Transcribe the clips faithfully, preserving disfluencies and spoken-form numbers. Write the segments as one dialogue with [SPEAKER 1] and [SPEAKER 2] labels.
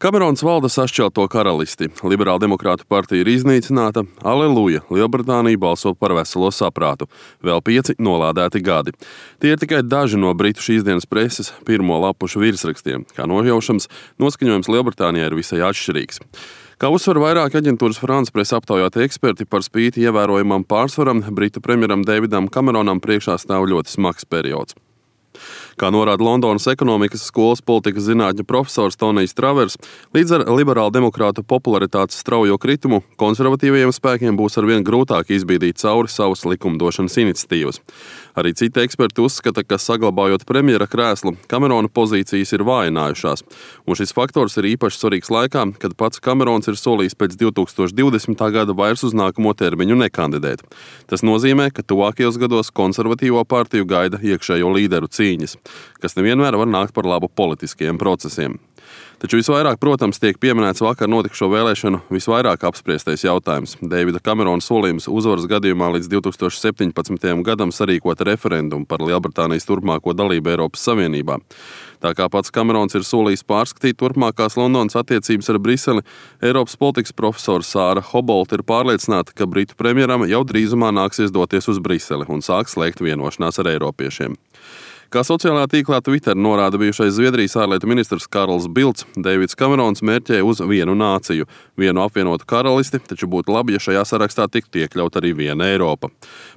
[SPEAKER 1] Kamerons valda sašķelto karalisti. Liberāla demokrātu partija ir iznīcināta. Aleluja! Lielbritānija balso par veselo saprātu. Vēl pieci nolādēti gadi. Tie ir tikai daži no britu šīsdienas preses pirmo lapušu virsrakstiem. Kā nojaušams, noskaņojums Lielbritānijā ir visai atšķirīgs. Kā uzsver vairāki aģentūras France Press aptaujāti eksperti, par spīti ievērojamam pārsvaram, britu premjeram Davidam Kameronam priekšā stāv ļoti smags periods. Kā norāda Londonas ekonomikas skolas politikas zinātņu profesors Tonijs Travers, līdz ar liberālu demokrātu popularitātes straujo kritumu konservatīvajiem spēkiem būs arvien grūtāk izbīdīt cauri savas likumdošanas iniciatīvas. Arī citi eksperti uzskata, ka saglabājot premjera krēslu, Kamerona pozīcijas ir vājinājušās, un šis faktors ir īpaši svarīgs laikā, kad pats Kamerons ir solījis pēc divi tūkstoši divdesmitā gada vairs uz nākamo termiņu nekandidēt. Tas nozīmē, ka tuvākajos gados konservatīvo partiju gaida iekšējo līderu cīņas, kas nevienmēr var nākt par labu politiskajiem procesiem. Taču visvairāk, protams, tiek pieminēts vakar notikušo vēlēšanu visvairāk apspriestais jautājums – Davida Kamerona solījums uzvaras gadījumā līdz divi tūkstoši septiņpadsmitajam gadam sarīkot referendumu par Lielbritānijas turpmāko dalību Eiropas Savienībā. Tā kā pats Kamerons ir solījis pārskatīt turpmākās Londonas attiecības ar Briseli, Eiropas politikas profesora Sāra Hobolta ir pārliecināta, ka britu premjeram jau drīzumā nāksies doties uz Briseli un sāks slēgt vienošanās ar eiropiešiem. Kā sociālajā tīklā Twitter norāda bijušais Zviedrijas ārlietu ministrs Karls Bilds, Davids Kamerons mērķē uz vienu nāciju, vienu apvienotu karalisti, taču būtu labi, ja šajā sarakstā tiktu iekļaut arī viena Eiropa.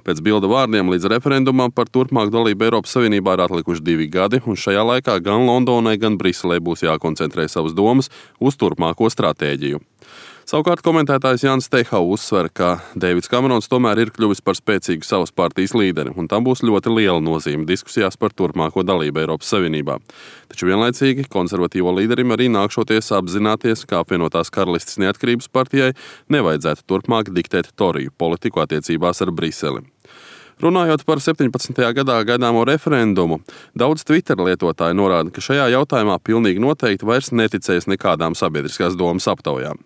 [SPEAKER 1] Pēc Bilda vārdiem līdz referendumam par turpmāku dalību Eiropas Savienībā ir atlikuši divi gadi, un šajā laikā gan Londonai, gan Briselē būs jākoncentrē savas domas uz turpmāko stratēģiju. Savukārt komentētājs Jānis Teihau uzsver, ka Davids Kamerons tomēr ir kļuvis par spēcīgu savas partijas līderi, un tam būs ļoti liela nozīme diskusijās par turpmāko dalību Eiropas Savienībā. Taču vienlaicīgi konservatīvo līderim arī nākšoties apzināties, ka apvienotās karalistes neatkarības partijai nevajadzētu turpmāk diktēt Toriju politiku attiecībās ar Briseli. Runājot par septiņpadsmitajā gadā gaidāmo referendumu, daudz Twitter lietotāji norāda, ka šajā jautājumā pilnīgi noteikti vairs neticēs nekādām sabiedriskās domas aptaujām.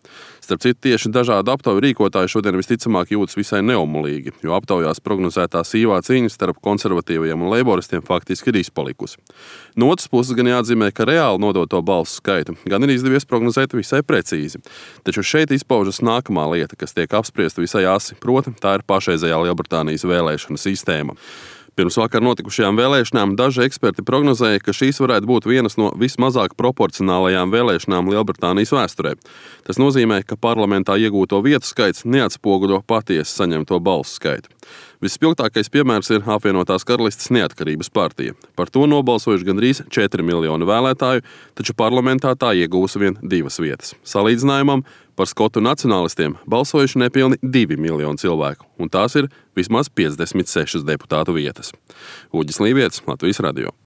[SPEAKER 1] Starp citu, tieši dažādu aptauju rīkotāji šodien visticamāk jūtas visai neomulīgi, jo aptaujās prognozētā sīvā cīņa starp konservatīvajiem un leiboristiem faktiski ir izpalikusi. No otras puses gan jāatzīmē, ka reāli nodoto balsu skaitu gan ir izdevies prognozēt visai precīzi. Taču šeit izpaužas nākamā lieta, kas tiek apspriesta visai asi, proti, tā ir pašreizējā Lielbritānijas vēlēšana sistēma. Pirms vakar notikušajām vēlēšanām daži eksperti prognozēja, ka šīs varētu būt vienas no vismazāk proporcionālajām vēlēšanām Lielbritānijas vēsturē. Tas nozīmē, ka parlamentā iegūto vietu skaits neatspoguļo patiesi saņemto balsu skaitu. Vispilgtākais piemērs ir apvienotās karalistes neatkarības partija. Par to nobalsojuši gandrīz četri miljoni vēlētāju, taču parlamentā tā iegūs vien divas vietas. Salīdzinājumam, par skotu nacionālistiem balsojuši nepilni divi miljoni cilvēku, un tās ir vismaz piecdesmit sešas deputātu vietas. Uģis Līvietis, Latvijas radio.